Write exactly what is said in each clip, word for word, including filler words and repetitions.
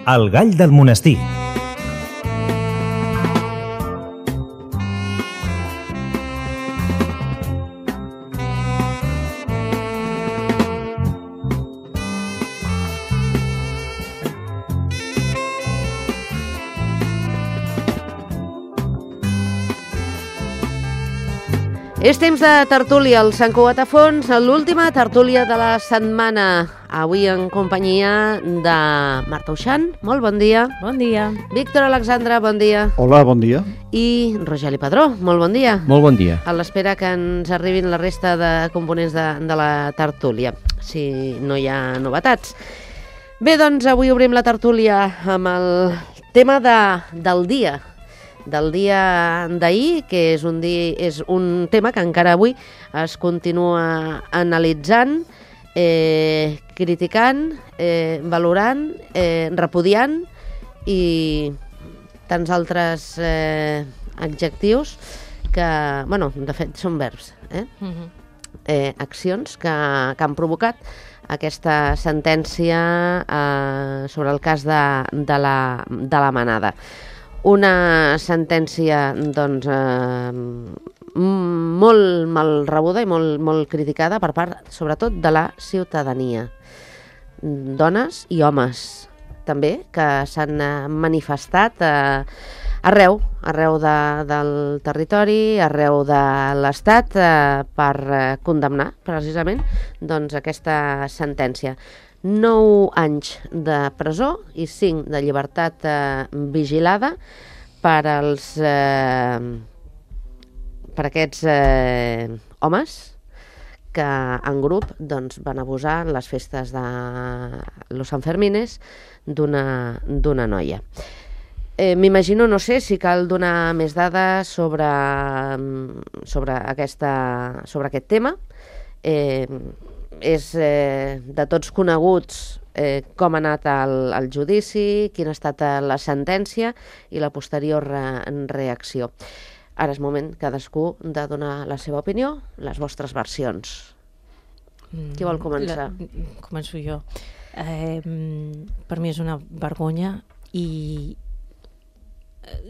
El gall del monestir. És temps de tertúlia al Sant Cugat a Fons, l'última tertúlia de la setmana. Avui en companyia de Marta Uixant, molt bon dia. Bon dia. Víctor Alexandre, bon dia. Hola, bon dia. I Rogeli Padró, molt bon dia. Molt bon dia. A l'espera que ens arribin la resta de components de, de la tertúlia, si no hi ha novetats. Bé, doncs avui obrim la tertúlia amb el tema de, del dia. del dia d'ahir, que és un, dia, és un tema que encara avui es continua analitzant, eh, criticant, eh, valorant, eh, repudiant i tants altres eh, adjectius que, bueno, de fet són verbs, eh? Uh-huh. eh, accions que, que han provocat aquesta sentència eh, sobre el cas de, de, la, de la manada. Una sentència doncs, eh, molt mal rebuda i molt, molt criticada per part, sobretot, de la ciutadania. Dones i homes, també, que s'han manifestat eh, arreu, arreu de, del territori, arreu de l'Estat, eh, per eh, condemnar, precisament, doncs, aquesta sentència. nou anys de presó i cinc de llibertat eh, vigilada per als eh, per aquests eh, homes que en grup doncs, van abusar en les festes de los Sanfermines d'una d'una noia. Eh, M'imagino, no sé si cal donar més dades sobre, sobre, aquesta, sobre aquest tema. Eh, és eh, de tots coneguts eh, com ha anat el, el judici, quina ha estat la sentència i la posterior re, reacció. Ara és moment cadascú de donar la seva opinió, les vostres versions. Mm, Qui vol començar? La, començo jo. Eh, per mi és una vergonya i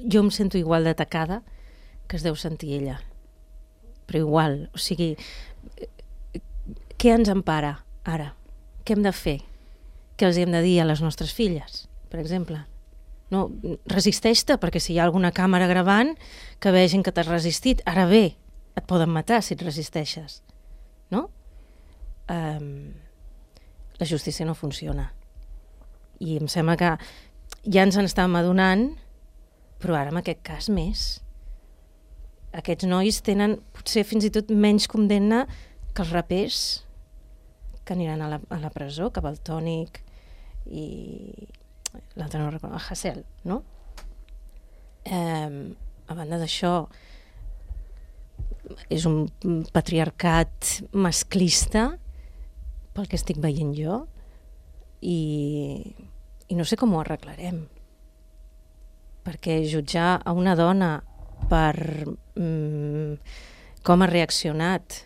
jo em sento igual d'atacada que es deu sentir ella. Però igual, o sigui... Què ens empara ara? Què hem de fer? Què els hem de dir a les nostres filles, per exemple? No, resisteix-te, perquè si hi ha alguna càmera gravant, que vegin que t'has resistit. Ara bé, et poden matar si et resisteixes. No? Um, la justícia no funciona. I em sembla que ja ens en estàvem adonant, però ara en aquest cas més. Aquests nois tenen potser fins i tot menys condemna que els rapers que aniran a la, a la presó, que Valtònic i l'altre no recordo, el Hasél, no? Eh, a banda d'això, és un patriarcat masclista pel que estic veient jo i, i no sé com ho arreglarem. Perquè jutjar a una dona per mm, com ha reaccionat,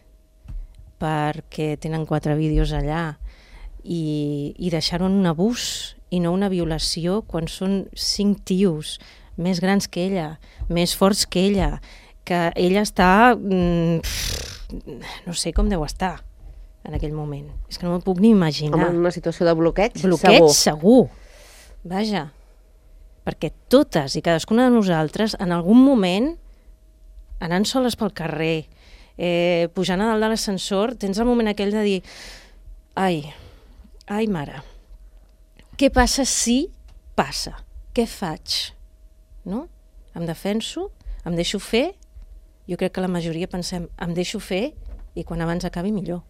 perquè tenen quatre vídeos allà i, i deixar-ho en un abús i no una violació quan són cinc tios més grans que ella, més forts que ella, que ella està... Mm, no sé com deu estar en aquell moment. És que no m'ho puc ni imaginar. Home, en una situació de bloqueig, bloqueig segur. segur. Vaja. Perquè totes i cadascuna de nosaltres, en algun moment, anant soles pel carrer, Eh, pujant a dalt de l'ascensor, tens el moment aquell de dir ai, ai mare, què passa si passa? Què faig? No? Em defenso? Em deixo fer? Jo crec que la majoria pensem, em deixo fer i quan abans acabi millor.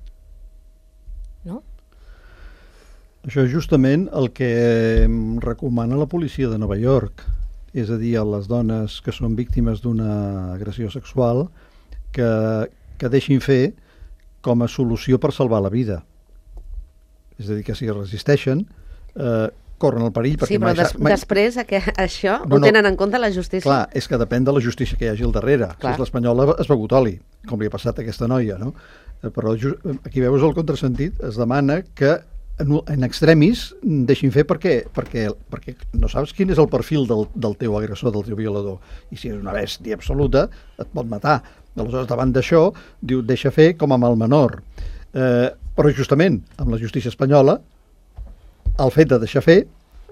No? Això és justament el que recomana la policia de Nova York, és a dir, a les dones que són víctimes d'una agressió sexual que, que deixin fer com a solució per salvar la vida. És a dir, que si resisteixen, eh, corren el perill... Sí, però des, mai... després que això no, ho tenen no. en compte la justícia. Clar, és que depèn de la justícia que hi hagi al darrere. Clar. Si és l'espanyola, es begut oli, com li ha passat a aquesta noia, no? Però aquí veus el contrasentit, es demana que en, en extremis deixin fer perquè, perquè, perquè no saps quin és el perfil del, del teu agressor, del teu violador, i si és una bèstia absoluta et pot matar. Aleshores, davant d'això, diu, deixa fer com amb el menor. Eh, però justament amb la justícia espanyola el fet de deixar fer,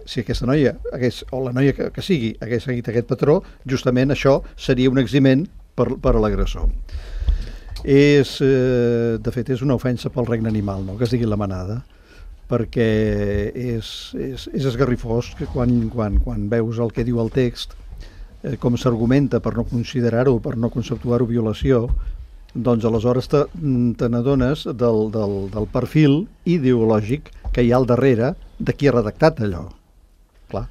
si aquesta noia hagués, o la noia que, que sigui hagués seguit aquest patró, justament això seria un eximent per, per a l'agressor. És, eh, de fet, és una ofensa pel regne animal, no?, que es digui la manada, perquè és, és, és esgarrifós que quan, quan, quan veus el que diu el text, eh, com s'argumenta per no considerar-ho, per no conceptuar-ho violació, doncs aleshores te, te n'adones del, del, del perfil ideològic que hi ha al darrere de qui ha redactat allò. Clar.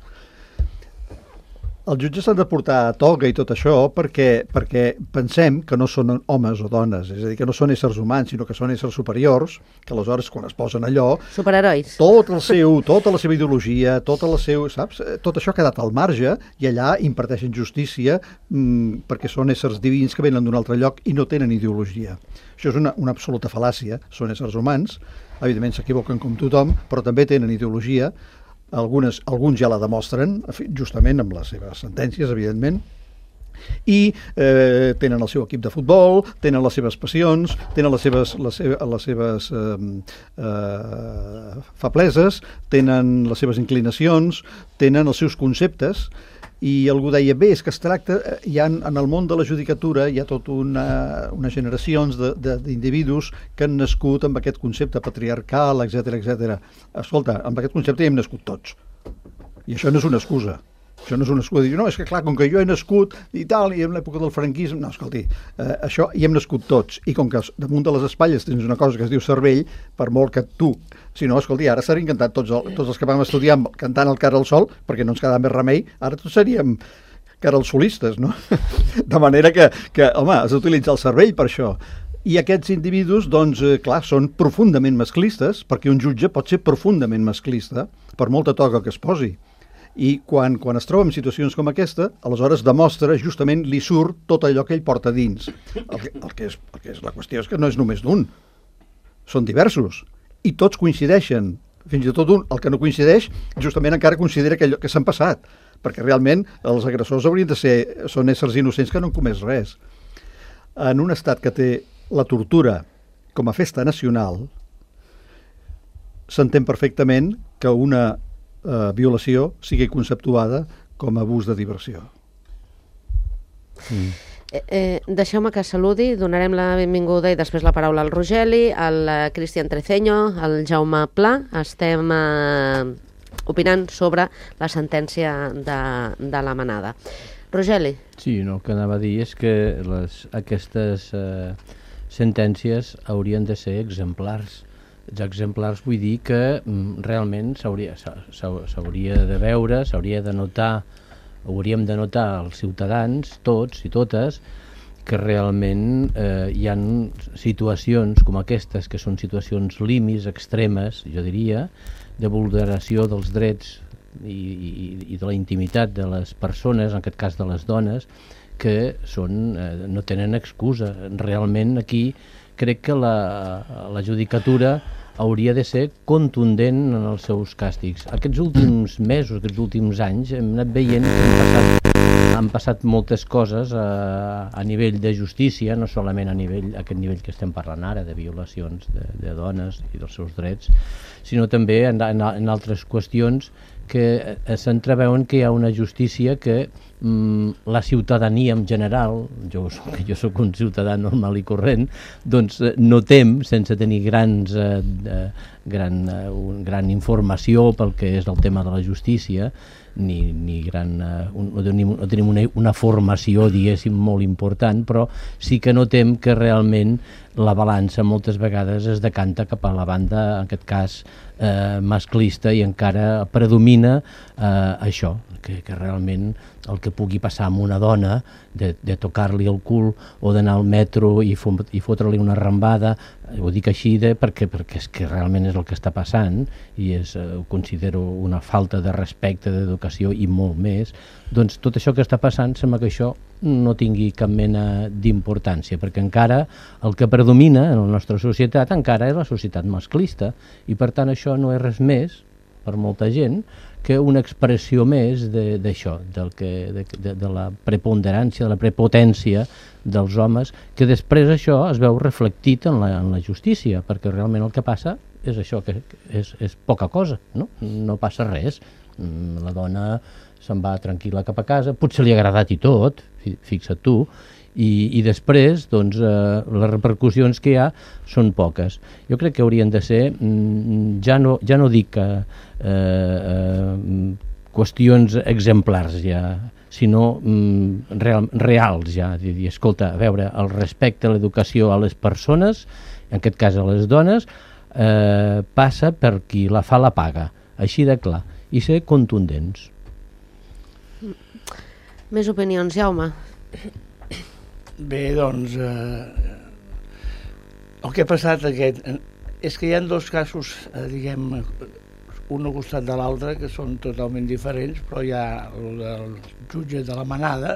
Els jutges s'han de portar a toga i tot això perquè, perquè pensem que no són homes o dones, és a dir, que no són éssers humans, sinó que són éssers superiors, que aleshores quan es posen allò... Superherois. Tot el seu, tota la seva ideologia, tota la seu, saps? Tot això ha quedat al marge i allà imparteixen justícia mmm, perquè són éssers divins que venen d'un altre lloc i no tenen ideologia. Això és una, una absoluta fal·làcia. Són éssers humans, evidentment s'equivoquen com tothom, però també tenen ideologia. Algunes, alguns ja la demostren, justament amb les seves sentències, evidentment, i eh, tenen el seu equip de futbol, tenen les seves passions, tenen les seves, les seves, les seves eh, eh, febleses, tenen les seves inclinacions, tenen els seus conceptes, i algú deia, bé, és que es tracta, hi ha, en el món de la judicatura hi ha tot una, unes generacions d'individus que han nascut amb aquest concepte patriarcal, etcètera, etcètera. Escolta, amb aquest concepte hi hem nascut tots. I això no és una excusa. Això no és una excusa. Dir, no, és que clar, com que jo he nascut i tal, i en l'època del franquisme... No, escolti, eh, això hi hem nascut tots. I com que damunt de les espatlles tens una cosa que es diu cervell, per molt que tu... Si no, escolti, ara s'han encantat tots, el, tots els que vam estudiar cantant el Cara al Sol, perquè no ens quedava més remei, ara tots seríem caralsolistes, no? De manera que, que home, has d'utilitzar el cervell per això. I aquests individus, doncs, eh, clar, són profundament masclistes, perquè un jutge pot ser profundament masclista, per molta toga que es posi. I quan, quan es troba en situacions com aquesta, aleshores demostra, justament li surt tot allò que ell porta dins. El que, el que, és, el que és la qüestió és que no és només d'un, són diversos, i tots coincideixen, fins i tot un, el que no coincideix, justament encara considera que, allò, que s'han passat, perquè realment els agressors haurien de ser, són éssers innocents que no han comès res. En un estat que té la tortura com a festa nacional, s'entén perfectament que una eh, violació sigui conceptuada com a abús de diversió. Mm. Eh, eh, Deixeu-me que saludi, donarem la benvinguda i després la paraula al Rogeli, al Cristian Treceño, al Jaume Pla. Estem eh, opinant sobre la sentència de, de la manada. Rogeli. Sí, no, el que anava a dir és que les, aquestes eh, sentències haurien de ser exemplars. Els exemplars vull dir que mm, realment s'hauria s'hauria de veure, s'hauria de notar, hauríem de notar els ciutadans, tots i totes, que realment eh, hi ha situacions com aquestes, que són situacions límits, extremes, jo diria, de vulneració dels drets i, i, i de la intimitat de les persones, en aquest cas de les dones, que són, eh, no tenen excusa. Realment aquí crec que la, la judicatura hauria de ser contundent en els seus càstigs. Aquests últims mesos, aquests últims anys, hem anat veient que han passat, han passat moltes coses a, a nivell de justícia, no solament a nivell, a aquest nivell que estem parlant ara, de violacions de, de dones i dels seus drets, sinó també en, en, en altres qüestions que s'entreveuen que hi ha una justícia que mm, la ciutadania en general, jo, jo soc un ciutadà normal i corrent, doncs no tem, sense tenir grans, eh, de, gran, eh, un, gran informació pel que és el tema de la justícia, ni, ni gran, eh, un, no tenim, no tenim una, una formació, diguéssim, molt important, però sí que notem que realment la balança moltes vegades es decanta cap a la banda, en aquest cas, eh, masclista, i encara predomina eh, això, que, que realment el que pugui passar amb una dona, de, de tocar-li el cul o d'anar al metro i, i fotre-li una rambada, ho dic així de, perquè, perquè és que realment és el que està passant i és, eh, ho considero una falta de respecte, d'educació i molt més, doncs tot això que està passant sembla que això no tingui cap mena d'importància, perquè encara el que predomina en la nostra societat encara és la societat masclista i per tant això no és res més per molta gent que una expressió més d'això, de, de, de, de la preponderància, de la prepotència dels homes, que després això es veu reflectit en la, en la justícia, perquè realment el que passa és això, que és, és poca cosa, no? No passa res. La dona se'n va tranquil·la cap a casa, potser li ha agradat i tot, fixa't tu, i, i després doncs, eh, les repercussions que hi ha són poques. Jo crec que haurien de ser, ja no, ja no dic que eh, eh, qüestions exemplars ja, sinó mm, real, reals ja, de dir, escolta, a veure, el respecte a l'educació a les persones, en aquest cas a les dones, eh, passa per qui la fa la paga, així de clar, i ser contundents. Més opinions, Jaume? Bé, doncs, eh, el que ha passat aquest, és que hi ha dos casos, eh, diguem, un al costat de l'altre, que són totalment diferents, però hi ha el del jutge de la Manada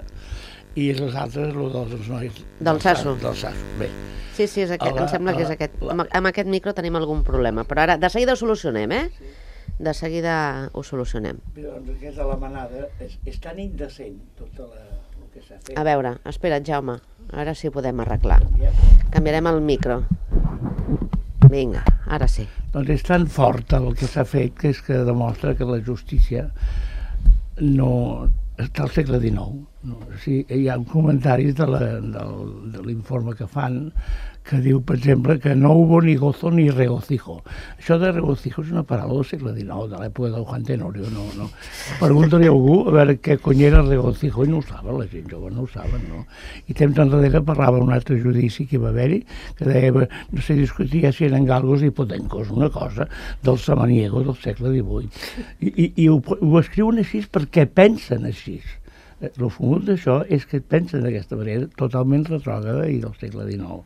i els altres, el dels nois... Del Sasso. Del Sasso, bé. Sí, sí, és aquest, la, em sembla la, que és aquest. La... Amb, amb aquest micro tenim algun problema, però ara de seguida ho solucionem, eh? Sí. De seguida ho solucionem. Bé, doncs aquest de la Manada és, és tan indecent, tota la... A veure, espera't, Jaume, ara sí ho podem arreglar. Canviarem el micro. Vinga, ara sí. Doncs és tan fort el que s'ha fet que és que demostra que la justícia no està al segle dinou. No? O sigui, hi ha comentaris de l'informe que fan que diu, per exemple, que no hubo ni gozo ni regocijo. Això de regocijo és una paraula del segle dinou, de l'època del Juan Tenorio. No, no. Pregunta-li a algú a veure què cony era el regocijo, i no ho saben, la gent jove no ho saben, no? I temps enrere parlava un altre judici que hi va haver-hi, que deia, no sé, discutia si eren galgos i potencos, una cosa del samaniego del segle divuit. I, i, i ho, ho escriuen així perquè pensen així. El fumut d'això és que pensen d'aquesta manera totalment retrògrada i del segle dinou.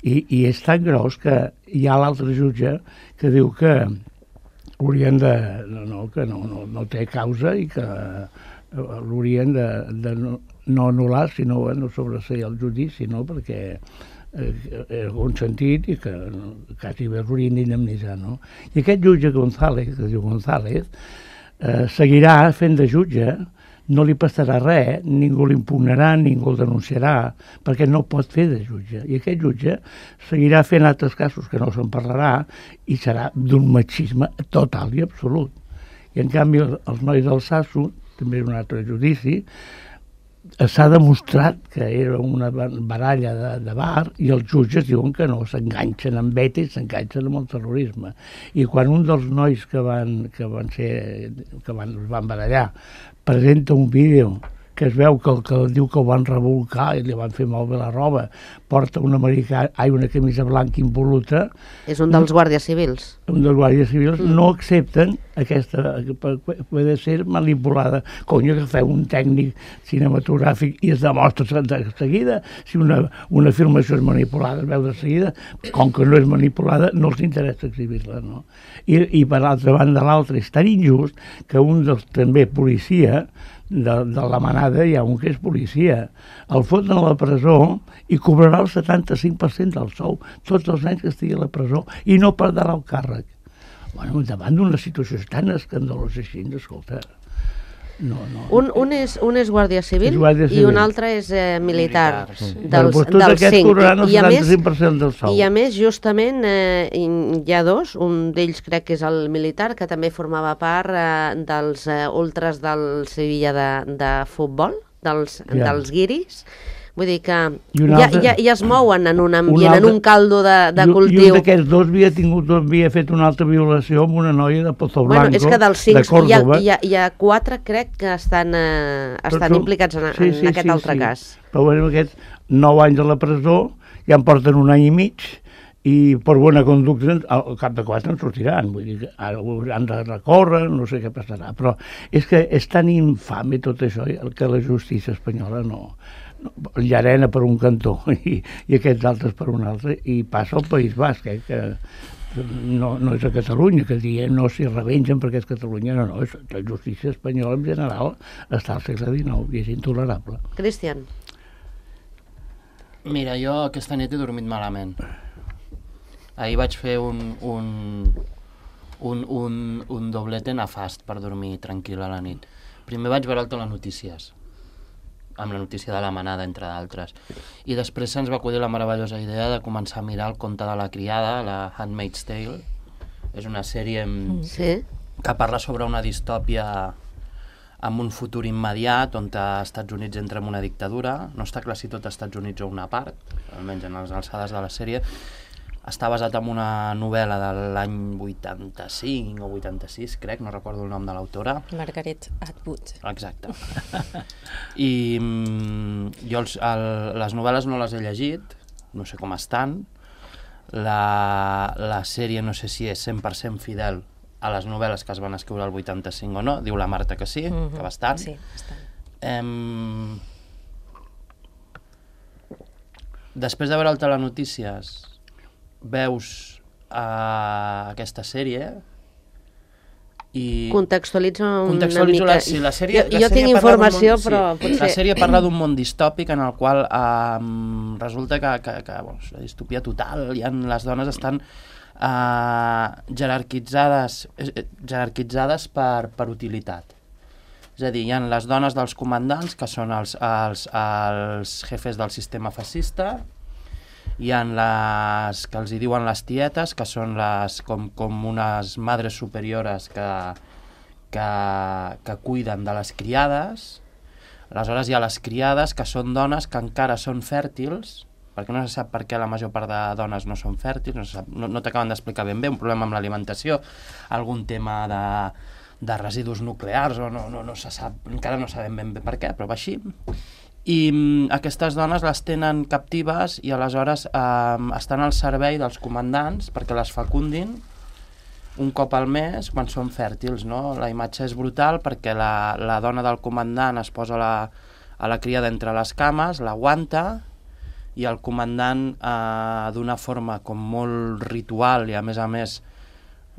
I, i és tan gros que hi ha l'altre jutge que diu que haurien de... No, no, que no, no, no té causa i que l'haurien de, de no, no anul·lar, sinó no sobreseir el judici, no? Perquè eh, és un sentit i que quasi bé l'haurien d'indemnitzar, no? I aquest jutge González, que es diu González, eh, seguirà fent de jutge, no li passarà res, ningú l'impugnarà, ningú el denunciarà, perquè no pot fer de jutge. I aquest jutge seguirà fent altres casos que no se'n parlarà i serà d'un machisme total i absolut. I en canvi els nois del Sasso, també és un altre judici, s'ha demostrat que era una baralla de, de bar i els jutges diuen que no, s'enganxen amb ETA i s'enganxen amb el terrorisme. I quan un dels nois que van, que van ser, que van, van barallar presenta un vídeo que es veu que el que diu que el van revolcar i li van fer malbé la roba, porta una, americà, ai, una camisa blanca impol·luta. És un dels guàrdies civils. Un dels guàrdies civils mm. no accepten aquesta, puede ser manipulada. Conyo, que feu un tècnic cinematogràfic i es demostra de seguida si una, una filmació és manipulada, es veu de seguida, com que no és manipulada no els interessa exhibir-la, no? I, i per l'altra banda l'altre és tan injust que un dels també policia de, de la Manada, hi ha un que és policia, el foten a la presó i cobrarà el setanta-cinc per cent del sou tots els anys que estigui a la presó i no perdrà el càrrec. Bueno, davant d'una situació tan escandalosa així, escolta, no, no. Un, un, és, un és guàrdia civil, és guàrdia civil i un altre és eh, militar, militar sí. dels, doncs dels cinc. I, i, a més, del sou. I a més, justament, eh, hi ha dos, un d'ells crec que és el militar, que també formava part eh, dels eh, ultras del Sevilla de, de futbol, dels, ja. dels guiris. Vull dir que ja, ja, ja es mouen en un ambient, altre, en un caldo de, de i, cultiu. I un d'aquests dos havia, tingut, havia fet una altra violació amb una noia de Pozo Blanco, bueno, és que dels cinc, de Córdoba. Hi ha, hi ha quatre, crec, que estan, eh, estan tu, implicats en, sí, sí, en aquest sí, altre sí. cas. Però bueno, aquests nou anys a la presó, ja en porten un any i mig, i per bona conducta al cap de quatre en sortiran, vull dir que ara han de recórrer, no sé què passarà, però és que és tan infame tot això que la justícia espanyola no, no llarena per un cantó i, i aquests altres per un altre, i passa al País Basc, eh, que no, no és a Catalunya, que diem no s'hi revengen perquè és Catalunya, no, no, és, la justícia espanyola en general està al segle dinou i és intolerable. Cristian. Mira, jo aquesta nit he dormit malament. Ahir vaig fer un, un, un, un, un doblete nefast per dormir tranquil a la nit. Primer vaig veure el Telenotícies, amb la notícia de la manada, entre d'altres. I després se'ns va acudir la meravellosa idea de començar a mirar el conte de la criada, la Handmaid's Tale. És una sèrie Sí. que parla sobre una distòpia amb un futur immediat on els Estats Units entra en una dictadura. No està clar si tot els Estats Units o una part, almenys en les alçades de la sèrie. Està basat en una novel·la de l'any vuitanta-cinc o vuitanta-sis, crec, no recordo el nom de l'autora. Margaret Atwood. Exacte. I mm, jo els, el, les novel·les no les he llegit, no sé com estan. La, la sèrie no sé si és cent per cent fidel a les novel·les que es van escriure al vuitanta-cinc o no. Diu la Marta que sí, mm-hmm. que bastant. Sí, bastant. Em... Després de veure el Telenotícies, veus uh, aquesta sèrie i... Contextualitzo una Contextualitzo mica. la, sí, la sèrie, jo la jo sèrie tinc parla d'un informació, món, però sí, potser... La sèrie parla d'un món distòpic en el qual um, resulta que, que, que bueno, és la distopia total, i en, les dones estan uh, jerarquitzades, eh, jerarquitzades per, per utilitat. És a dir, hi ha les dones dels comandants, que són els, els, els jefes del sistema fascista, hi ha les que els hi diuen les tietes, que són les, com, com unes madres superiores que, que, que cuiden de les criades. Aleshores hi ha les criades, que són dones que encara són fèrtils, perquè no se sap per què la major part de dones no són fèrtils, no, se sap, no, no t'acaben d'explicar ben bé, un problema amb l'alimentació, algun tema de, de residus nuclears, o no, no, no se sap, encara no sabem ben bé per què, però va així. I mm, aquestes dones les tenen captives i aleshores eh, estan al servei dels comandants perquè les fecundin un cop al mes quan són fèrtils, no? La imatge és brutal perquè la, la dona del comandant es posa la, a la criada entre les cames, l'aguanta, i el comandant eh, d'una forma com molt ritual i a més a més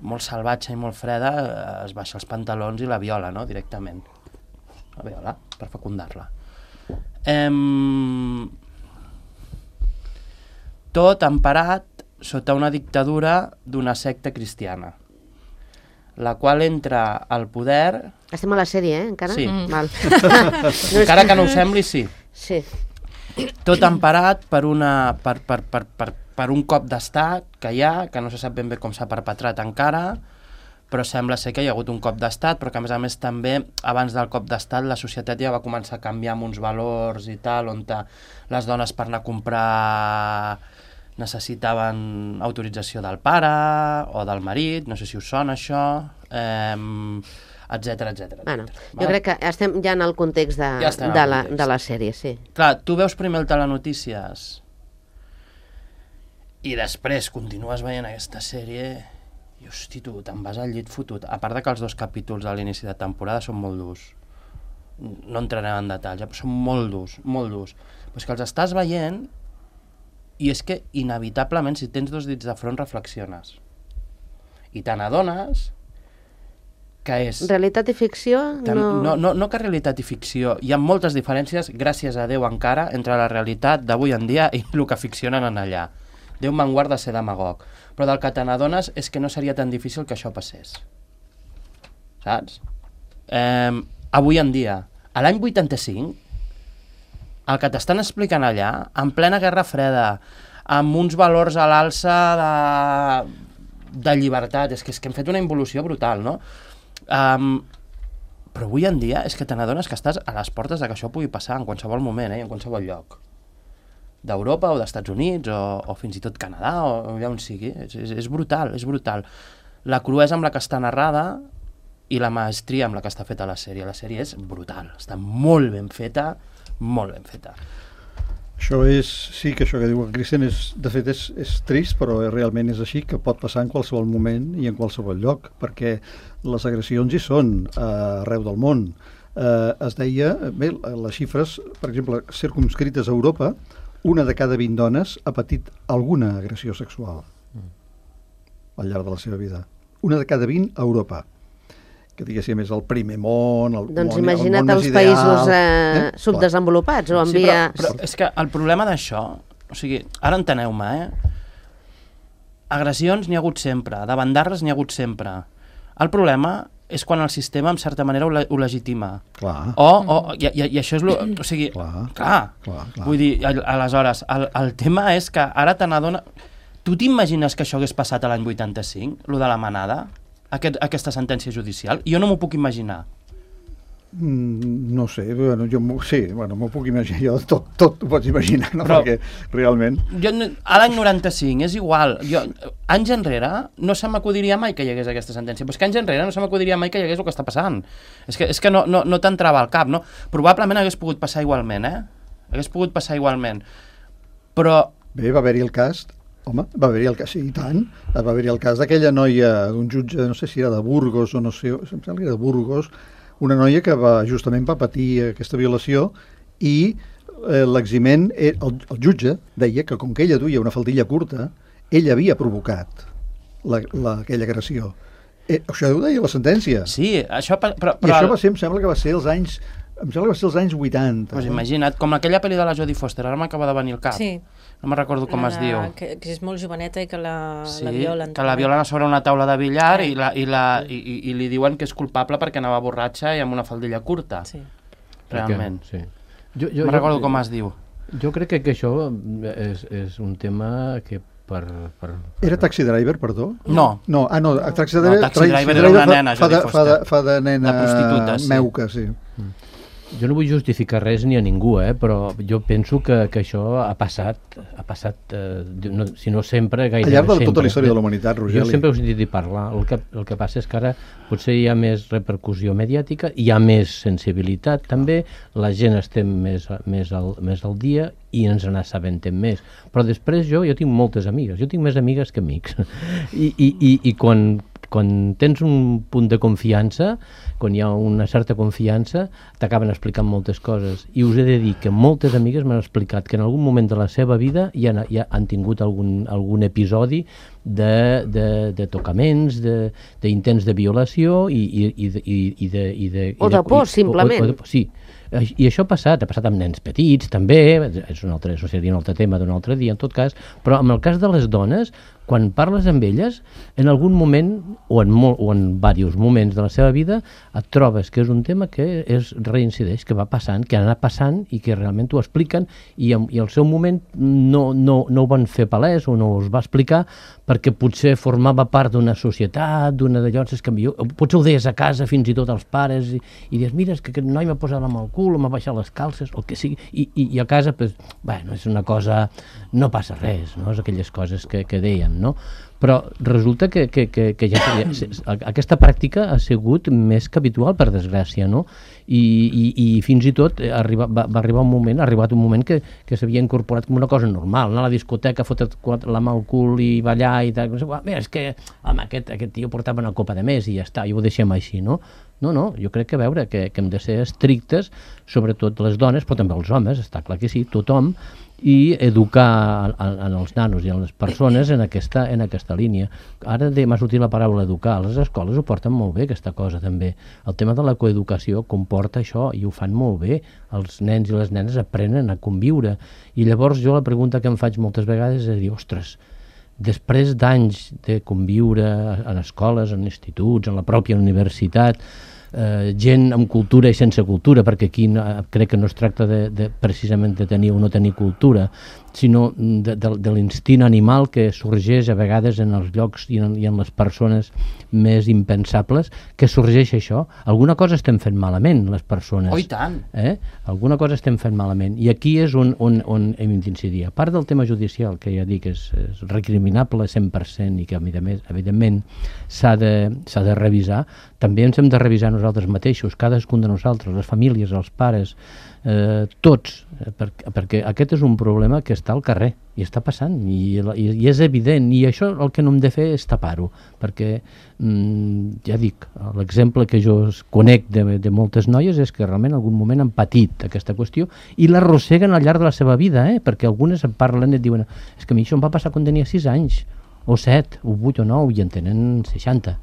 molt salvatge i molt freda eh, es baixa els pantalons i la viola, no? Directament. La viola, per fecundar-la. Em... Tot emparat sota una dictadura d'una secta cristiana, la qual entra al poder... Estem a la sèrie, eh, encara? Sí. Mm. Val. Encara que no ho sembli, sí. Sí. Tot emparat per, una, per, per, per, per, per un cop d'estat que hi ha, que no se sap ben bé com s'ha perpetrat encara, però sembla ser que hi ha hagut un cop d'estat, però que a més a més també abans del cop d'estat la societat ja va començar a canviar amb uns valors i tal, on les dones per anar a comprar necessitaven autorització del pare o del marit, no sé si us sona això, eh, etcètera, etcètera. Bueno, jo crec que estem ja en el context de, ja de, la, de la sèrie, sí. Clar, tu veus primer el Telenotícies i després continues veient aquesta sèrie i, hosti, tu te'n vas al llit fotut. A part de que els dos capítols a l'inici de temporada són molt durs. No entrarem en detalls, però són molt durs, molt durs. Però és que els estàs veient i és que inevitablement, si tens dos dits de front, reflexiones. I te n'adones que és... Realitat i ficció? Tan, no... No, no, no que realitat i ficció. Hi ha moltes diferències, gràcies a Déu encara, entre la realitat d'avui en dia i el que ficcionen en allà. Déu me'n guarda de ser demagog. Però del que te n'adones és que no seria tan difícil que això passés. Saps? Eh, avui en dia, a l'any vuitanta-cinc, el que t'estan explicant allà, en plena Guerra Freda, amb uns valors a l'alça de, de llibertat, és que, és que hem fet una involució brutal, no? Um, però avui en dia és que te n'adones que estàs a les portes de que això pugui passar en qualsevol moment, eh, en qualsevol lloc. D'Europa o d'Estats Units o, o fins i tot Canadà o, o allà on sigui. És, és, és brutal, és brutal. La cruesa amb la que està narrada i la maestria amb la que està feta la sèrie. La sèrie és brutal, està molt ben feta, molt ben feta. Això és, sí que això que diu el Cristian és, de fet és, és trist, però realment és així, que pot passar en qualsevol moment i en qualsevol lloc, perquè les agressions hi són uh, arreu del món. Uh, es deia, bé, les xifres, per exemple, circumscrites a Europa, una de cada vint dones ha patit alguna agressió sexual al llarg de la seva vida. Una de cada vint a Europa. Que diguéssim és el primer món, el doncs món, imagina't el món els més ideal, països eh, eh? subdesenvolupats o en Sí, via... però, però és que el problema d'això, o sigui, ara enteneu-me, eh? Agressions n'hi ha hagut sempre, davandarres n'hi ha hagut sempre. El problema és quan el sistema, en certa manera, ho, le ho legitima. Clar. O, o, i, i, i això és... Lo, o sigui, Clar, clar, clar, clar. Vull dir, al- aleshores, el, el tema és que ara te n'adona... Tu t'imagines que això hagués passat a l'any vuitanta-cinc, lo de la manada? Aquest, aquesta sentència judicial? Jo no m'ho puc imaginar. Mm, no sé, bueno, jo m'ho- sí, bueno, m'ho puc imaginar, jo tot, tot ho pots imaginar, no? Però- Perquè realment... Jo, no- a l'any noranta-cinc, és igual. Jo, anys enrere no se m'acudiria mai que hi hagués aquesta sentència. Però és que anys enrere no se m'acudiria mai que hi hagués el que està passant. És que, és que no, no, no t'entrava al cap, no? Probablement hagués pogut passar igualment, eh? Hagués pogut passar igualment. Però... Bé, va haver-hi el cas, home, va haver-hi el cas, sí, i tant, va haver-hi el cas d'aquella noia, d'un jutge, no sé si era de Burgos o no sé, em sembla que era de Burgos, una noia que va, justament va patir aquesta violació i eh, l'eximent, eh, el, el jutge deia que com que ella duia una faldilla curta, ell havia provocat la, la, aquella agressió. Eh, això ho deia la sentència. Sí, això... pa- Però, I però això va ser, em sembla que va ser els anys, em sembla que va ser els anys vuitanta. Pues no? imagina't, com aquella pel·li de la Jodie Foster, ara m'acaba de venir al cap. Sí. No me'n recordo com La es de- diu. Que, que és molt joveneta i que la, Sí, la violen. que la també. violen a sobre una taula de billar Sí. i, la, i, la, i, i, i li diuen que és culpable perquè anava borratxa i amb una faldilla curta. Sí. Realment. Sí. Jo, jo, No recordo jo, com es diu. Jo crec que, que això és, és un tema que per... per, per Era Taxi Driver, perdó? No. No, ah, no, Taxi No, Driver, Taxi Driver era una nena, fa, de, Jodie fa, de, Foster. fa de nena De prostituta, sí. meuca, sí. Jo no vull justificar res ni a ningú, eh, però jo penso que, que això ha passat, ha passat eh, no, si no sempre, gairebé Al llarg de sempre. tota la història de la humanitat, Rogeli. Jo sempre he sentit dir parlar. El que, el que passa és que ara potser hi ha més repercussió mediàtica, hi ha més sensibilitat també, la gent estem més, més, al, més al dia i ens n'assabentem més. Però després jo, jo tinc moltes amigues, jo tinc més amigues que amics. I, i, i, i quan, quan tens un punt de confiança, quan hi ha una certa confiança, t'acaben explicant moltes coses. I us he de dir que moltes amigues m'han explicat que en algun moment de la seva vida ja, ja han tingut algun, algun episodi de, de, de tocaments, d'intents de, de violació i, i, i, de, i, i de... I de O de por, i, simplement. O, o de, sí, i això ha passat, ha passat amb nens petits també, és un altre, això seria un altre tema d'un altre dia en tot cas, però en el cas de les dones, quan parles amb elles, en algun moment o en, molt, o en diversos moments de la seva vida et trobes que és un tema que es reincideix, que va passant, que ha anat passant i que realment t'ho expliquen i, i al seu moment no, no, no ho van fer palès o no us va explicar perquè potser formava part d'una societat, d'una d'allò, és que jo, potser ho deies a casa fins i tot als pares i, i dius, mira, és que aquest noi m'ha posat amb el cul o m'ha baixat les calces, o el que sigui, i, i, i a casa, pues, bueno, és una cosa, no passa res, no? És aquelles coses que, que deien, no? Però resulta que, que, que, que ja, ja, aquesta pràctica ha sigut més que habitual, per desgràcia, no? I, i, i fins i tot arriba, va, va arribar un moment, ha arribat un moment que, que s'havia incorporat com una cosa normal, anar a la discoteca, fotre't la mà al cul i ballar i tal, mira, és que home, aquest, aquest tio portava una copa de més i ja està, i ho deixem així, no? No, no, jo crec que a veure, que, que hem de ser estrictes, sobretot les dones, però també els homes, està clar que sí, tothom, i educar en, en els nanos i en les persones en aquesta, en aquesta línia. Ara m'ha sortit la paraula educar, les escoles ho porten molt bé, aquesta cosa també. El tema de la coeducació comporta això i ho fan molt bé. Els nens i les nenes aprenen a conviure. I llavors jo la pregunta que em faig moltes vegades és dir, ostres, després d'anys de conviure en escoles, en instituts, en la pròpia universitat, eh, gent amb cultura i sense cultura, perquè aquí no, crec que no es tracta de, de, precisament de tenir o no tenir cultura, sinó de, de, de l'instint animal que sorgeix a vegades en els llocs i en, i en les persones més impensables, que sorgeix això. Alguna cosa estem fent malament, les persones. Oh, i tant! Eh? Alguna cosa estem fent malament. I aquí és on, on, on hem d'incidir. A part del tema judicial, que ja dic és, és recriminable cent per cent i que, a més, evidentment, s'ha de, s'ha de revisar, també ens hem de revisar nosaltres mateixos, cadascun de nosaltres, les famílies, els pares, eh, tots, eh, per, perquè aquest és un problema que està al carrer i està passant i, i, i és evident, i això el que no hem de fer és tapar-ho, perquè mm, ja dic, l'exemple que jo conec de, de moltes noies és que realment en algun moment han patit aquesta qüestió i l'arrosseguen al llarg de la seva vida, eh? Perquè algunes en parlen i et diuen és que a mi això em va passar quan tenia sis anys o set, o vuit o nou, i en tenen seixanta.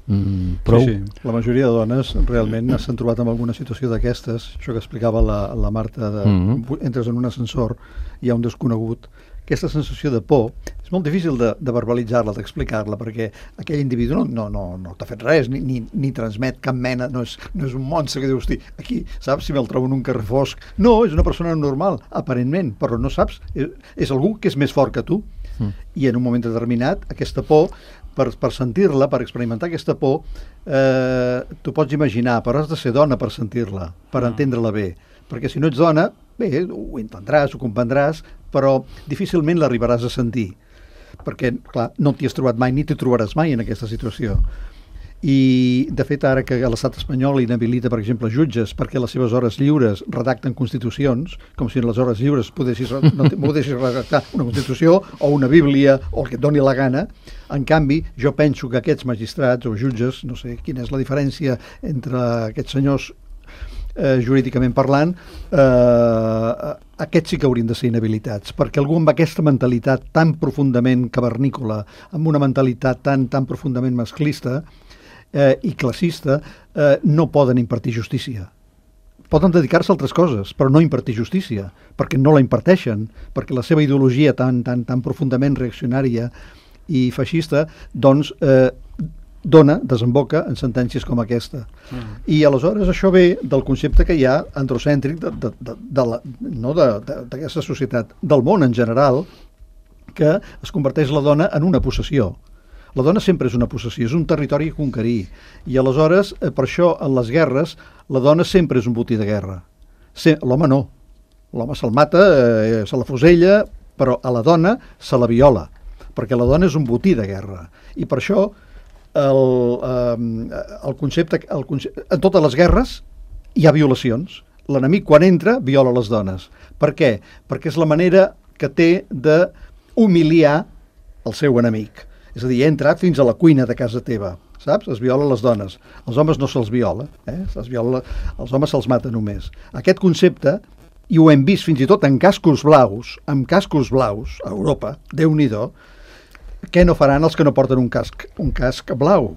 Mm, prou. Sí, sí, la majoria de dones realment s'han trobat en alguna situació d'aquestes, això que explicava la, la Marta, de, mm-hmm. entres en un ascensor, hi ha un desconegut, aquesta sensació de por és molt difícil de, de verbalitzar-la, d'explicar-la, perquè aquell individu no, no, no, no t'ha fet res, ni, ni, ni transmet cap mena, no és, no és un monstre que dius, aquí, saps, si me'l trobo en un carrer fosc, no, és una persona normal, aparentment, però no saps, és, és algú que és més fort que tu, mm. i en un moment determinat, aquesta por, per, per sentir-la, per experimentar aquesta por, eh, t'ho pots imaginar, però has de ser dona per sentir-la, per mm. entendre-la bé, perquè si no ets dona, bé, ho entendràs, ho comprendràs, però difícilment l'arribaràs a sentir, perquè, clar, no t'hi has trobat mai ni t'hi trobaràs mai en aquesta situació. I, de fet, ara que l'estat espanyol inhabilita, per exemple, jutges perquè les seves hores lliures redacten constitucions, com si en les hores lliures podessis, no podessis redactar una constitució o una bíblia o el que et doni la gana. En canvi, jo penso que aquests magistrats o jutges, no sé quina és la diferència entre aquests senyors eh, jurídicament parlant, eh, aquests sí que haurien de ser inhabilitats, perquè algú amb aquesta mentalitat tan profundament cavernícola, amb una mentalitat tan, tan profundament masclista, Eh, i classista, eh, no poden impartir justícia. Poden dedicar-se a altres coses, però no impartir justícia, perquè no la imparteixen, perquè la seva ideologia tan, tan, tan profundament reaccionària i feixista, doncs, eh, dona, desemboca en sentències com aquesta. Mm. I aleshores això ve del concepte que hi ha androcèntric de, de, de, de la, no d'aquesta societat, del món en general, que es converteix la dona en una possessió. La dona sempre és una possessió, és un territori a conquerir. I aleshores, eh, per això, en les guerres, la dona sempre és un botí de guerra. Se, l'home no. L'home se'l mata, eh, se la fusella, però a la dona se la viola, perquè la dona és un botí de guerra. I per això, el, eh, el concepte, el concepte, en totes les guerres hi ha violacions. L'enemic, quan entra, viola les dones. Per què? Perquè és la manera que té d'humiliar el seu enemic. És a dir, ha entrat fins a la cuina de casa teva, saps? Es viola les dones. Els homes no se'ls viola, eh? Es viola, els homes se'ls mata només. Aquest concepte, i ho hem vist fins i tot en cascos blaus, amb cascos blaus a Europa, Déu-n'hi-do, què no faran els que no porten un casc, un casc blau?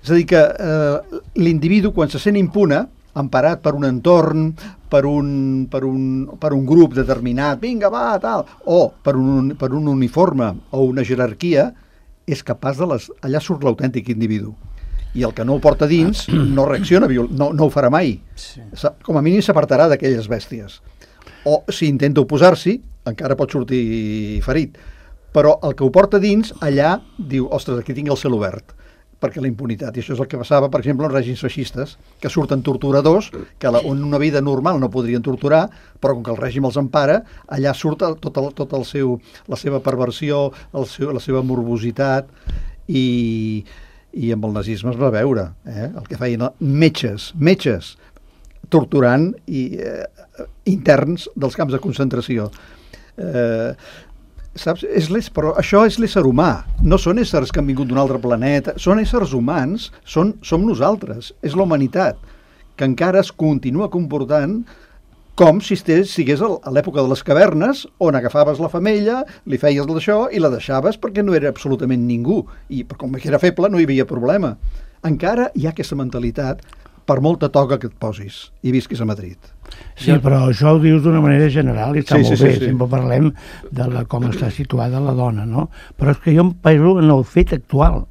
És a dir, que eh, l'individu, quan se sent impune, emparat per un entorn, per un, per un, per un grup determinat, vinga, va, tal, o per un, per un uniforme o una jerarquia, és capaç de les... Allà surt l'autèntic individu. I el que no ho porta dins no reacciona, no, no ho farà mai. Sí. Com a mínim s'apartarà d'aquelles bèsties. O si intenta oposar-s'hi, encara pot sortir ferit. Però el que ho porta dins, allà, diu, ostres, aquí tinc el cel obert, perquè la impunitat. I això és el que passava, per exemple, en règims feixistes, que surten torturadors, que la, en una vida normal no podrien torturar, però com que el règim els empara, allà surt tot el, tot el seu, la seva perversió, el seu, la seva morbositat, i, i amb el nazisme es va veure, eh? El que feien metges, metges, torturant i, eh, interns dels camps de concentració. Eh, Saps? És però això és l'ésser humà, no són éssers que han vingut d'un altre planeta, són éssers humans, són, som nosaltres, és la humanitat, que encara es continua comportant com si estigués a l'època de les cavernes, on agafaves la femella, li feies d'això i la deixaves perquè no era absolutament ningú, i com que era feble no hi havia problema. Encara hi ha aquesta mentalitat, per molta toga que et posis, i visquis a Madrid. Sí, però això ho dius d'una manera general i està sí, molt sí, bé, sí, sí. Sempre parlem de la, com està situada la dona, no? Però és que jo em penso en el fet actual,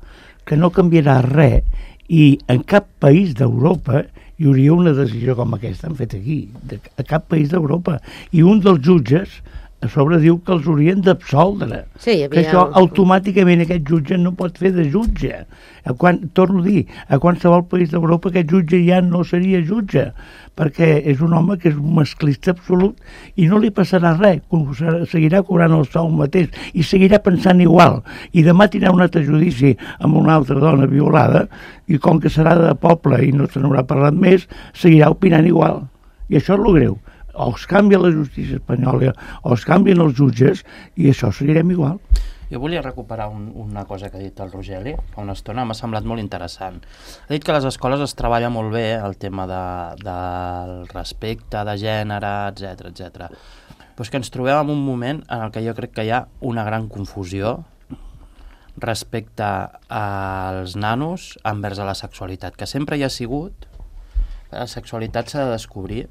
que no canviarà res i en cap país d'Europa hi hauria una decisió com aquesta han fet aquí, de, a cap país d'Europa. I un dels jutges a sobre diu que els haurien d'absoldre. Sí, hi Que havia... això automàticament aquest jutge no pot fer de jutge. A quan, torno a dir, a qualsevol país d'Europa aquest jutge ja no seria jutge, perquè és un home que és un masclista absolut i no li passarà res, seguirà cobrant el sou mateix i seguirà pensant igual. I demà tindrà un altre judici amb una altra dona violada i com que serà de poble i no se n'haurà parlat més, seguirà opinant igual. I això és el greu. O es canvia la justícia espanyola o es canvien els jutges i això seguirem igual. Jo volia recuperar un, una cosa que ha dit el Rogeli fa una estona, m'ha semblat molt interessant. Ha dit que a les escoles es treballa molt bé el tema de, del respecte, de gènere, etcètera, etcètera. Però és que ens trobem en un moment en el que jo crec que hi ha una gran confusió respecte als nanos envers a la sexualitat, que sempre hi ha sigut. La sexualitat s'ha de descobrir.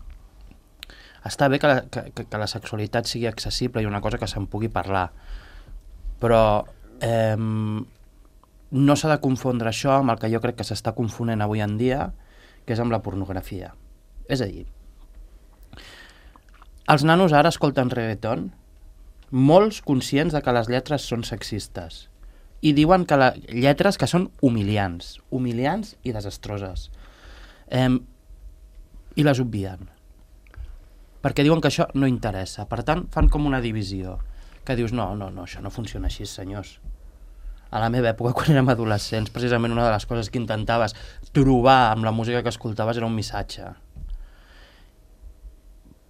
Està bé que la, que, que la sexualitat sigui accessible i una cosa que se'n pugui parlar, però eh, no s'ha de confondre això amb el que jo crec que s'està confonent avui en dia, que és amb la pornografia. És a dir, els nanos ara escolten reggaeton, molts conscients de que les lletres són sexistes, i diuen que les lletres que són humiliants, humiliants i desastroses, eh, i les obvien, perquè diuen que això no interessa. Per tant, fan com una divisió, que dius, no, no, no, això no funciona així, senyors. A la meva època, quan érem adolescents, precisament una de les coses que intentaves trobar amb la música que escoltaves era un missatge.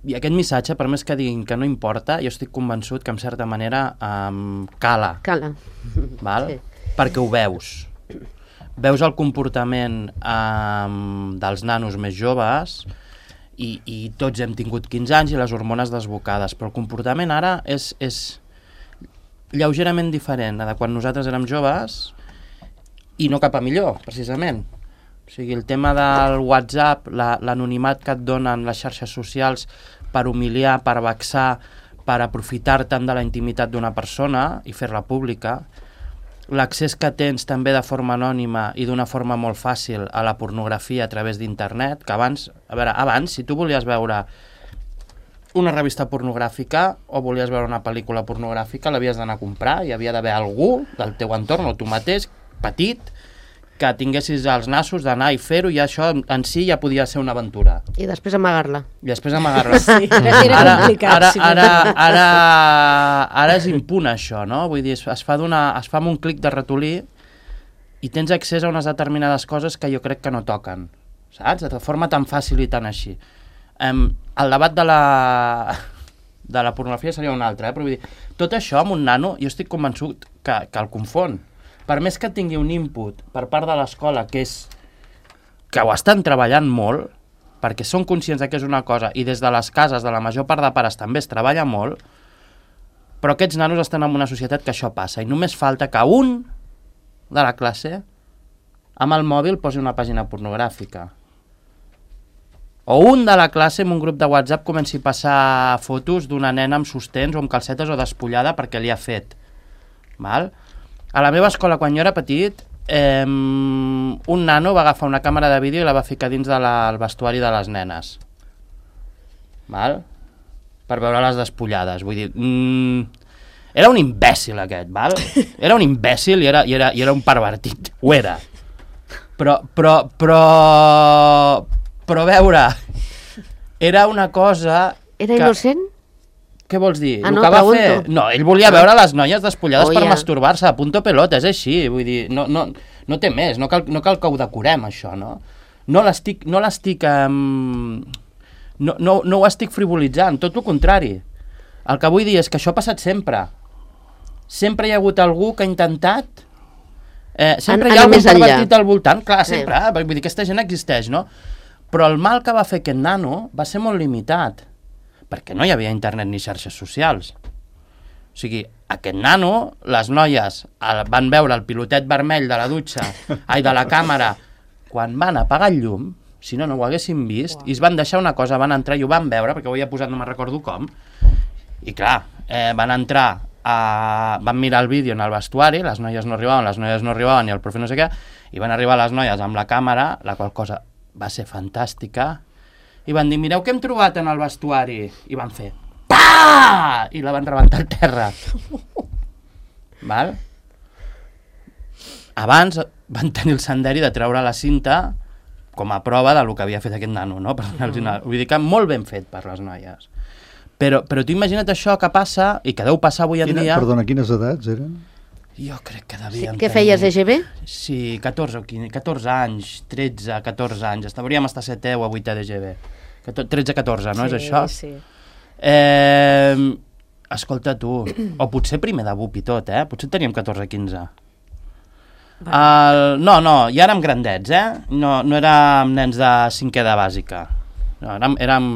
I aquest missatge, per més que diguin que no importa, jo estic convençut que, en certa manera, um, cala. Cala. Val? Sí. Perquè ho veus. Veus el comportament um, dels nanos més joves i, i tots hem tingut quinze anys i les hormones desbocades, però el comportament ara és, és lleugerament diferent de quan nosaltres érem joves i no cap a millor, precisament. O sigui, el tema del WhatsApp, la, l'anonimat que et donen les xarxes socials per humiliar, per vexar, per aprofitar-te'n de la intimitat d'una persona i fer-la pública, l'accés que tens també de forma anònima i d'una forma molt fàcil a la pornografia a través d'internet, que abans, a veure, abans, si tu volies veure una revista pornogràfica o volies veure una pel·lícula pornogràfica, l'havies d'anar a comprar, hi havia d'haver algú del teu entorn o tu mateix, petit, que tinguessis els nassos d'anar i fer-ho, i això en si ja podia ser una aventura. I després amagar-la. I després amagar-la. Sí, era, era ara, complicat. ara, Sí, ara, ara, ara és impune això, no? Vull dir, es, es fa d'una, es fa amb un clic de ratolí i tens accés a unes determinades coses que jo crec que no toquen, saps? De forma tan fàcil i tan així. Um, el debat de la, de la pornografia seria un altre, eh? Però vull dir, tot això amb un nano jo estic convençut que, que el confon. Per més que tingui un input per part de l'escola, que és que ho estan treballant molt, perquè són conscients que és una cosa, i des de les cases de la major part de pares també es treballa molt, però aquests nanos estan en una societat que això passa, i només falta que un de la classe amb el mòbil posi una pàgina pornogràfica. O un de la classe en un grup de WhatsApp comenci a passar fotos d'una nena amb sostens o amb calcetes o despullada perquè li ha fet. Val? A la meva escola, quan jo era petit, eh, un nano va agafar una càmera de vídeo i la va ficar dins del de vestuari de les nenes. Val? Per veure-les despullades. Vull dir, mm, era un imbècil aquest, val? Era un imbècil i era, i era, i era un pervertit. Ho era. Però, però, però... Però, a veure, era una cosa... Era que... innocent? Què vols dir? Ah, el no, que va pregunto. fer... No, ell volia veure les noies despullades Oh, per ja. masturbar-se, a punto pelota, és així, vull dir, no, no, no té més, no cal, no cal que ho decorem, això, no? No l'estic... No l'estic... Um... No, no, no ho estic frivolitzant, tot el contrari. El que vull dir és que això ha passat sempre. Sempre hi ha hagut algú que ha intentat... Eh, sempre An- hi ha anar algun més enllà. pervertit al voltant, clar, Sí. sempre, eh? Vull dir, aquesta gent existeix, no? Però el mal que va fer aquest nano va ser molt limitat, perquè no hi havia internet ni xarxes socials. O sigui, aquest nano, les noies el, van veure el pilotet vermell de la dutxa, ai, de la càmera, quan van apagar el llum, si no, no ho haguessin vist, i es van deixar una cosa, van entrar i ho van veure, perquè ho havia posat, no me'n recordo com, i clar, eh, van entrar, a, van mirar el vídeo en el vestuari, les noies no arribaven, les noies no arribaven, i el profe no sé què, i van arribar les noies amb la càmera, la qual cosa va ser fantàstica, i van dir, mireu què hem trobat en el vestuari, i van fer, pam! pa! I la van rebentar al terra. Val? Abans van tenir el senderi de treure la cinta com a prova del que havia fet aquest nano, no? Per donar-los una... Vull dir que molt ben fet per les noies. Però, però tu imagina't això que passa, i que deu passar avui en Quina, dia... Perdona, quines edats eren? Jo crec que Sí, devien què feies, E G B? Sí, catorze o quinze, catorze anys, tretze, catorze anys. Hauríem estar a setè o a vuitè de G B. tretze catorze, no sí, és això? Sí, Eh, escolta tu, o potser primer de B U P i tot, eh? Potser teníem catorze quinze. El, no, no, ja érem grandets, eh? No, no érem nens de cinquè de bàsica. No, érem... érem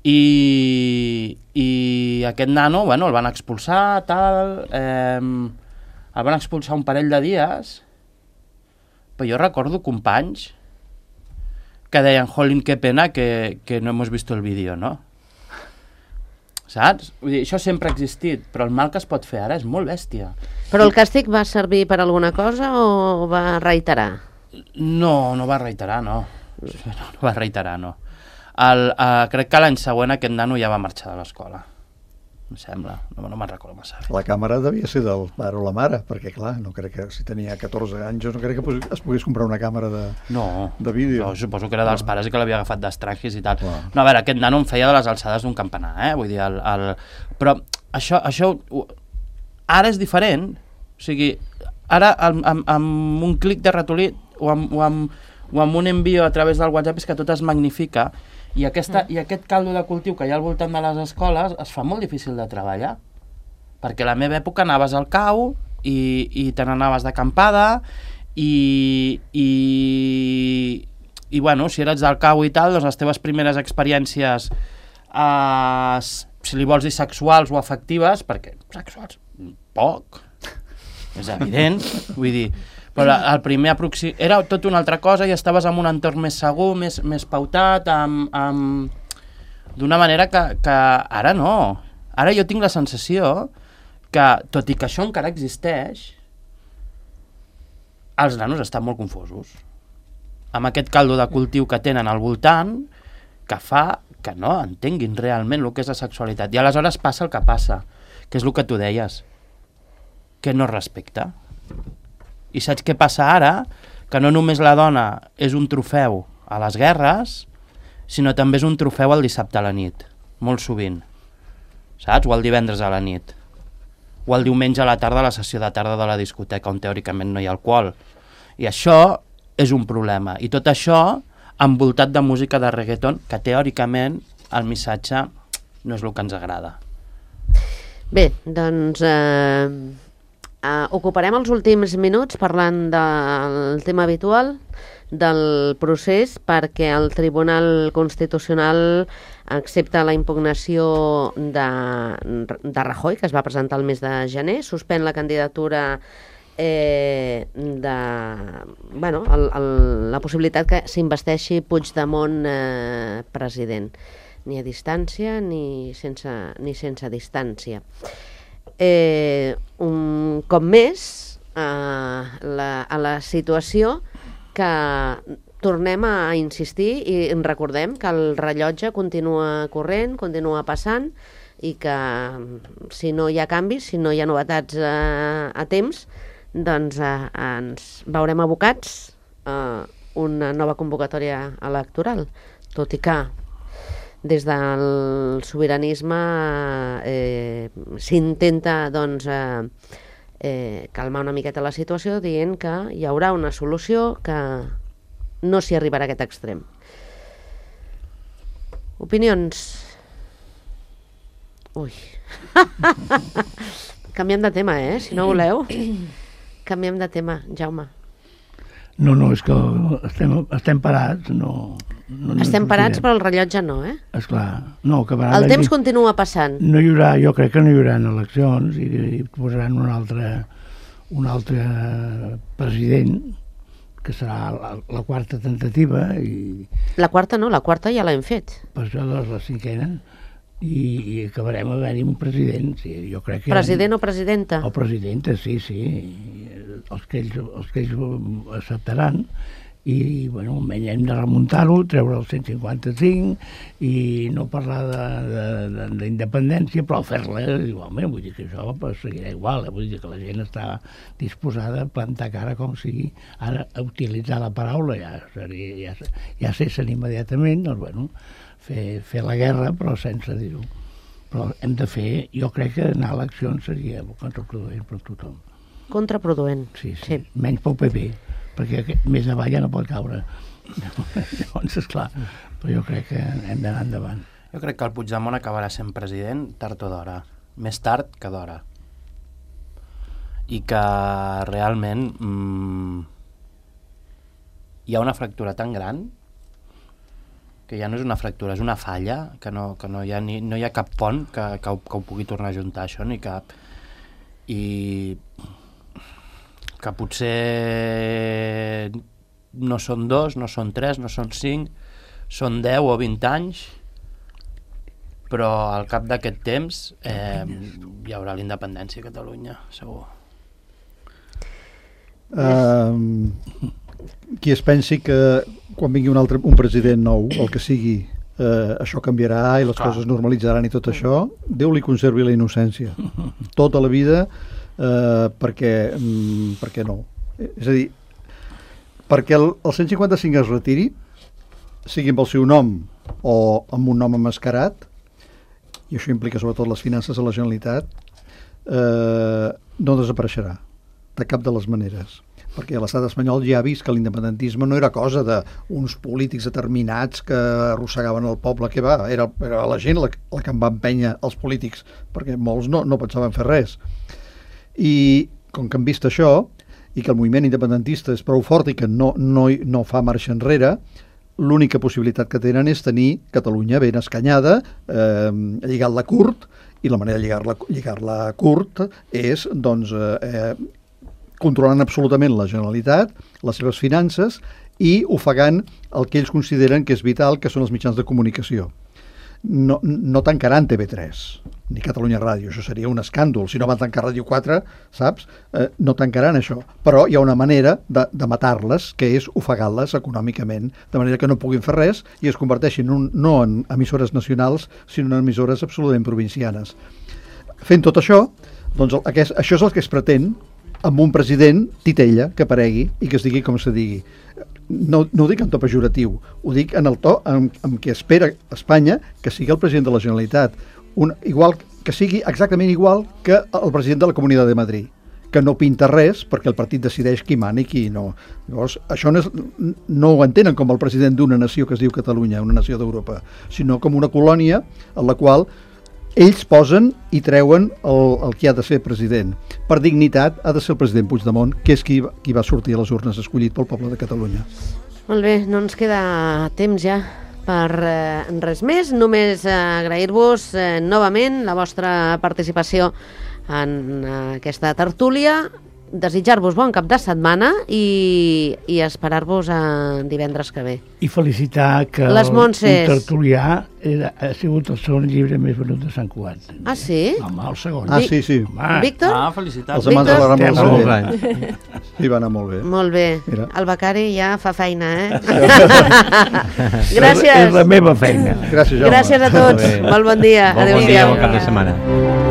I, i aquest nano, bueno, el van expulsar, tal, eh, el van expulsar un parell de dies, però jo recordo companys que deien, jolín, qué pena que, que no hemos visto el vídeo, no? Saps? Vull dir, això sempre ha existit, però el mal que es pot fer ara és molt bèstia. Però el càstig va servir per alguna cosa o va reiterar? No, no va reiterar, no. No, no va reiterar, no. El, uh, crec que l'any següent aquest nano ja va marxar de l'escola. Em sembla, no, no me'n recordo massa bé. La càmera devia ser del pare o la mare, perquè clar, no crec que si tenia catorze anys, jo no crec que es pogués comprar una càmera de, no, de vídeo. No, suposo que era dels pares i que l'havia agafat d'estrangis i tal. Clar. No, a veure, aquest nano em feia de les alçades d'un campanar, eh? Vull dir, el, el... però això, això ara és diferent. O sigui, ara amb, amb, amb un clic de ratolí o amb, o, amb, o amb un envio a través del WhatsApp és que tot es magnifica. I, aquesta, mm. I aquest caldo de cultiu que hi ha al voltant de les escoles es fa molt difícil de treballar, perquè a la meva època anaves al cau i, i te n'anaves d'acampada i, i, i bueno, si eres del cau i tal, doncs les teves primeres experiències, eh, si li vols dir sexuals o afectives, perquè sexuals, poc, és evident, vull dir, però el primer aproxim... era tot una altra cosa i estaves en un entorn més segur, més, més pautat, amb, amb... d'una manera que, que ara no. Ara jo tinc la sensació que, tot i que això encara existeix, els nanos estan molt confosos. Amb aquest caldo de cultiu que tenen al voltant, que fa que no entenguin realment el que és la sexualitat. I aleshores passa el que passa, que és el que tu deies, que no respecta. I saps què passa ara? Que no només la dona és un trofeu a les guerres, sinó també és un trofeu el dissabte a la nit, molt sovint. Saps? O el divendres a la nit. O el diumenge a la tarda a la sessió de tarda de la discoteca, on teòricament no hi ha alcohol. I això és un problema. I tot això envoltat de música de reggaeton, que teòricament el missatge no és el que ens agrada. Bé, doncs... Eh... Uh, ocuparem els últims minuts parlant del tema habitual del procés, perquè el Tribunal Constitucional accepta la impugnació de, de Rajoy, que es va presentar el mes de gener, suspèn la candidatura eh, de... Bueno, el, el, la possibilitat que s'investeixi Puigdemont eh, president, ni a distància ni sense, ni sense distància. Eh, un cop més eh, la, a la situació que tornem a insistir i recordem que el rellotge continua corrent, continua passant i que si no hi ha canvis, si no hi ha novetats eh, a temps, doncs eh, ens veurem abocats a una nova convocatòria electoral, tot i que des del sobiranisme eh, s'intenta doncs, eh, eh, calmar una miqueta la situació dient que hi haurà una solució, que no s'hi arribarà a aquest extrem. Opinions? Ui. Canviem de tema, eh? Si no voleu. Canviem de tema, Jaume. No, no, és que estem, estem parats, no... no estem parats, però el rellotge no, eh? Esclar, no, acabarà... El temps continua passant. No hi haurà, jo crec que no hi haurà eleccions i, i posaran un altre, un altre president, que serà la, la quarta tentativa i... La quarta no, la quarta ja l'hem fet. Per això doncs la cinquena, i, i acabarem havent-hi un president, sí, jo crec que... President o presidenta? O presidenta, sí, sí, els que ells, els que ells acceptaran, i bueno, almenys hem de remuntar-ho, treure el cent cinquanta-cinc i no parlar d'independència, però fer-la igualment, vull dir que això pues, seguirà igual, eh? Vull dir que la gent està disposada a plantar cara com sigui, ara a utilitzar la paraula ja, seria, ja, ja cessa immediatament, doncs bueno, fer, fer la guerra però sense dir-ho. Però hem de fer, jo crec que anar a eleccions seria contraproduent per tothom. Contraproduent. Sí, sí, sí. Menys pel P P, perquè més avall ja no pot caure. Llavors, esclar, però jo crec que hem d'anar endavant. Jo crec que el Puigdemont acabarà sent president tard o d'hora, més tard que d'hora. I que realment mmm, hi ha una fractura tan gran que ja no és una fractura, és una falla, que no, que no, hi, ha ni, no hi ha cap pont que, que, ho, que ho pugui tornar a juntar això, ni cap... I que potser no són dos, no són tres, no són cinc, són deu o vint anys, però al cap d'aquest temps eh, hi haurà la independència a Catalunya, segur. Uh, qui es pensi que quan vingui un altre un president nou, el que sigui, uh, això canviarà i les Clar. Coses normalitzaran i tot això, Déu li conservi la innocència. Tota la vida, uh, perquè, um, perquè no. És a dir, perquè el, el cent cinquanta-cinc es retiri, sigui amb el seu nom o amb un nom emmascarat, i això implica sobretot les finances de la Generalitat, eh, no desapareixerà de cap de les maneres, perquè l'estat espanyol ja ha vist que l'independentisme no era cosa d'uns polítics determinats que arrossegaven el poble, que va, era, era la gent la, la que en va empènyer els polítics, perquè molts no, no pensaven fer res. I com que han vist això, i que el moviment independentista és prou fort i que no, no, no fa marxa enrere, l'única possibilitat que tenen és tenir Catalunya ben escanyada, eh, lligar-la curt, i la manera de lligar-la lligar-la curt és, doncs, eh, controlant absolutament la Generalitat, les seves finances, i ofegant el que ells consideren que és vital, que són els mitjans de comunicació. No, no tancaran T V tres, ni Catalunya Ràdio, això seria un escàndol. Si no van tancar Ràdio quatre, saps? Eh, no tancaran això. Però hi ha una manera de, de matar-les, que és ofegar-les econòmicament, de manera que no puguin fer res i es converteixin un, no en emissores nacionals, sinó en emissores absolutament provincianes. Fent tot això, doncs aquest, això és el que es pretén amb un president titella que aparegui i que es digui com se digui. No, no ho dic en to pejoratiu, ho dic en el to en, en què espera Espanya que sigui el president de la Generalitat, un, igual, que sigui exactament igual que el president de la Comunitat de Madrid, que no pinta res perquè el partit decideix qui mana i qui no. Llavors, això no, és, no ho entenen com el president d'una nació que es diu Catalunya, una nació d'Europa, sinó com una colònia en la qual ells posen i treuen el, el que ha de ser president. Per dignitat ha de ser el president Puigdemont, que és qui, qui va sortir a les urnes escollit pel poble de Catalunya. Molt bé, no ens queda temps ja per eh, res més. Només eh, agrair-vos eh, novament la vostra participació en eh, aquesta tertúlia, desitjar-vos bon cap de setmana i, i esperar-vos a divendres que ve. I felicitar que Les el, Montses. un tertulià era, ha sigut el segon llibre més venut de Sant Cugat. Ah, sí? Home, el segon. Ah, sí, sí. Home, Víctor? Ah, felicitats. Els amants de la Rambla Víctor? molt bé. Sí, va anar molt bé. Molt bé. Mira. El becari ja fa feina, eh? És, Gràcies. és la meva feina. Gràcies, Jaume. Gràcies a tots. Molt bé. Molt bon dia. Bon, bon dia, Adéu-siau. bon cap de setmana.